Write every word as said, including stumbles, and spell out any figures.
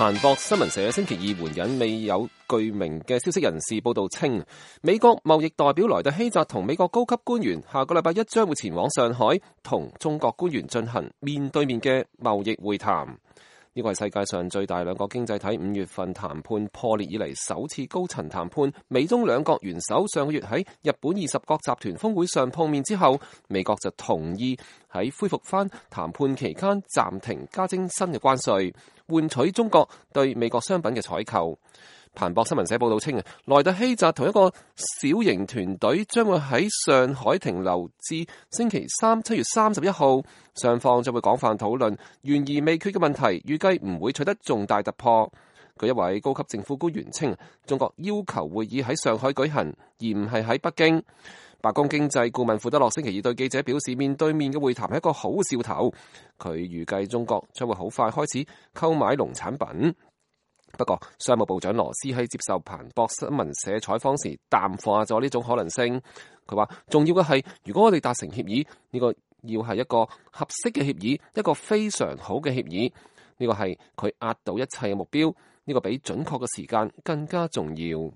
彭博新聞社星期二援引未有具名嘅消息人士報道稱，美國貿易代表萊特希澤同美國高級官員下個禮拜一將會前往上海同中國官員進行面對面嘅貿易會談。呢個係世界上最大兩個經濟體五月份談判破裂以嚟首次高層談判。美中兩國元首上個月喺日本二十國集團峰會上碰面之後，美國就同意喺恢復翻談判期間暫停加徵新嘅關稅，換取中國對美國商品嘅採購。彭博新聞社報道稱，萊特希澤同一個小型團隊將會喺上海停留至星期三七月三十一號，雙方將會廣泛討論懸而未決嘅問題，預計唔會取得重大突破。據一位高級政府官員稱，中國要求會議喺上海舉行，而唔係喺北京。白宮經濟顧問庫德洛星期二對記者表示，面對面嘅會談係一個好兆頭。佢預計中國將會好快開始購買農產品。不過，商務部長羅斯喺接受彭博新聞社採訪時淡化咗呢種可能性。佢話：重要嘅係，如果我哋達成協議，呢個要係一個合適嘅協議，一個非常好嘅協議。呢個係佢壓倒一切嘅目標。呢個比準確嘅時間更加重要。